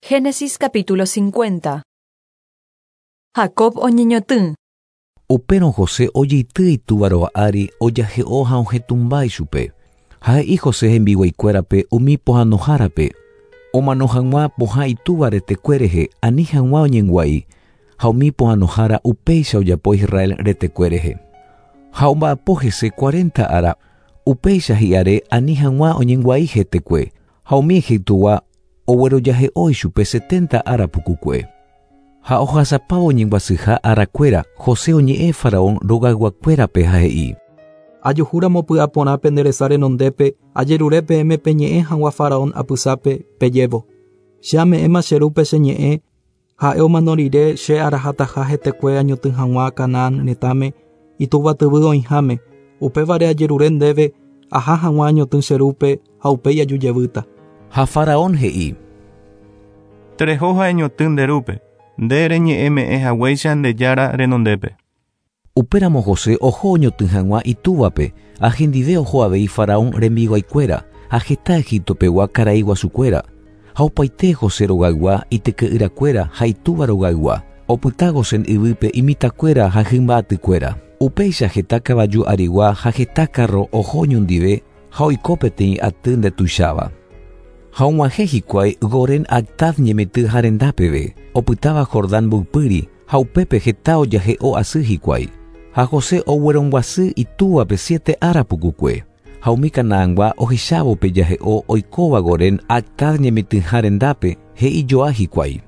Génesis capítulo 50. Jacob oñeñotỹ. Upérõ José ojeity itúva rova ári ojahe'o ha ohetũmba ichupe. Ha he'i José hembiguaikuérape umi pohãnohárape, omano hag̃ua pohã itúva retekue rehe ani hag̃ua oñengua'i, ha umi pohãnohára upéicha ojapo Israel retekue rehe. Ha omba'apo hese cuarenta ára, upéicha hi'are ani hag̃ua oñengua'i hetekue, ha umi Egiptogua oguerojahe'o ichupe setenta ára pukukue. Ha ohasapávo oñembyasýha arakuéra, José oñe'ẽ Faraón rogayguakuérape ha he'i. Ajuhúramo py'aporã pende resa renondépe, ajerure peẽme peñe'ẽ hag̃ua Faraón apysápe, pejévo. Che ame'ẽma che rúpe che ñe'ẽ, ha'e omano rire che arahataha hetekue añotỹ hag̃ua Canaán retãme, itúva tyvy oĩháme, upévare ajerure ndéve aha hag̃ua añotỹ che rúpe ha upéi ajujevýta. Ha Faraón he'i. Tereho ha eñotỹ nde rúpe, nde reñe'ẽme'ẽ haguéicha nde Jára renondépe. Upéramo José oho oñotỹ hag̃ua itúvape, ha hendive oho avei Faraón rembiguaikuéra ha heta Egipto pegua karai guasukuéra. Ha opaite José rogaygua, ityke'yrakuéra ha itúva rogaygua, opyta Gosén yvýpe imitãkuéra ha hymba atykuéra. Upéicha heta kavaju arigua ha heta kárro oho oñondive ha oiko peteĩ aty ndetuicháva. Ha og̃uahẽ hikuái Goren Actad ñemitỹ ha renda peve, opytáva Jordán mboypýri, ha upépe heta ojahe'o asy hikuái. Ha José oguerombyasy itúvape siete ára pukukue. Ha umi Canaangua ohechávo pe jahe'o oikóva Goren Actad ñemitỹha rendápe, he'i joa hikuái.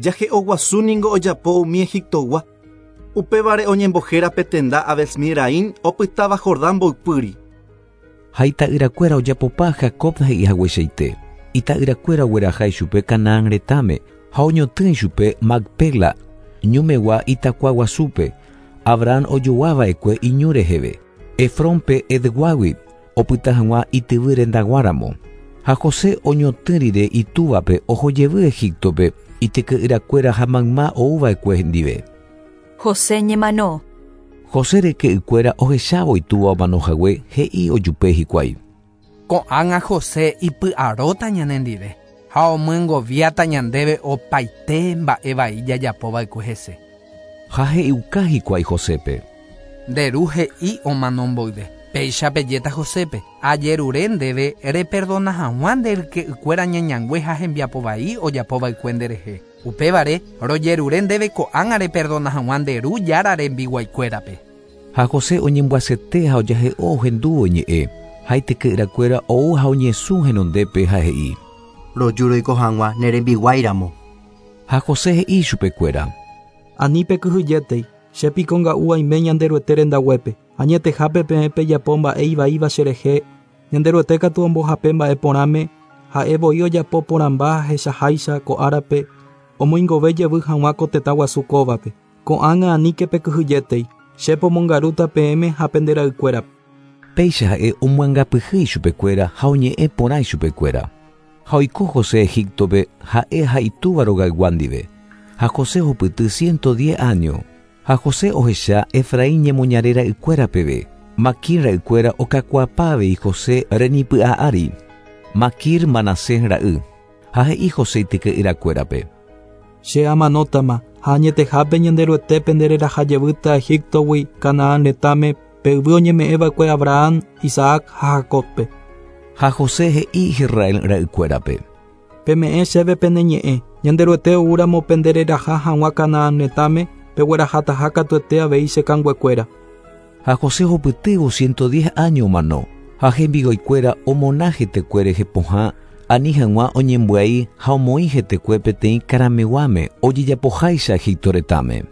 Jahe'o guasu ningo ojapo umi Egiptogua. Upévare oñembohéra pe tenda Abel-Mizraim opytáva Jordán mboypýri. Ha ita'yrakuéra ojapopa Jacob he'i hagueichaite. Ita'yrakuéra ogueraha ichupe Canaán retãme ha oñotỹ ichupe Macpela ñumegua itakua guasúpe, Abraham ojogua va'ekue iñu reheve, Efrónpe Hetguágui, opyta hag̃ua ityvy rendaguáramo. Ha José oñotỹ rire itúvape oho jevy Egíptope ityke'yrakuéra ha mayma ou va'ekue hendive. José ñemano. José ryke'ykuéra ohechávo itúva omano hague, he'i ojupe hikuái. Ko'ág̃a José ipy'aróta ñanendive ha omyengoviáta ñandéve opaite mba'e vai jajapova'ekue hese. Ha he'iuka hikuái Josépe. Nde ru he'i omano mboyve, péicha pejéta Josépe, Ajerure ndéve reperdona hag̃ua nde ryke'ykuéra ñañangue ha hembiapo vai ojapova'ekue nderehe. Upévare, rojerure ndéve ko'ág̃a reperdona hag̃ua nde ru Jára rembiguaikuérape. Ha José oñembyasete ha ojahe'o ohendúvo iñe'ẽ, ha ityke'yrakuéra ou ha oñesũ henondépe ha he'i. Roju roiko hag̃ua ne rembiguáiramo. Ha José he'i ichupekuéra. Ani pekyhyjétei, che piko nga'u aime Ñanderuete rendaguépe, añetehápe peẽ pejapo mba'e ivaíva cherehe, Ñanderuete katu ombohape mba'e porãme, ha'e voi ojapo porãmba ahechaháicha ko árape, omoingove jevy hag̃ua ko tetã guasu kóvape. Ko'ág̃a aníke pekyhyjétei, che pomongarúta peẽme ha pende ra'ykuérape. Péicha ha'e omyangapyhy ichupekuéra ha oñe'ẽ porã ichupekuéra. Ha oiko José Egíptope, ha'e ha itúva rogaygua ndive. Ha José ohupyty ciento diez áño. Ha José ohecha Efraín ñemoñare ra'ykuéra peve. Maquir ra'ykuéra okakuaapa avei José renipy'a ári. Maquir Manasés ra'y. Ha he'i José ityke'yrakuérape. Che amanótama, ha añetehápe Ñanderuete pendereraha jevýta Egíptogui Canaán retãme, pe yvy oñeme'ẽva'ekue Abraham, Isaac ha Jacóbpe. Ha José he'i Israel ra'ykuérape. Peme'ẽ chéve pene ñe'ẽ, Ñanderuete oúramo pendereraha hag̃ua Canaán retãme, peguerahataha katuete avei che kanguekuéra. Ha José ohupytývo ciento diez áño omano, ha hembiguaikuéra omona hetekue rehe pohã ani hag̃ua oñembyai ha omoĩ hetekue peteĩ karameguáme ojejapoháicha Egipto retãme.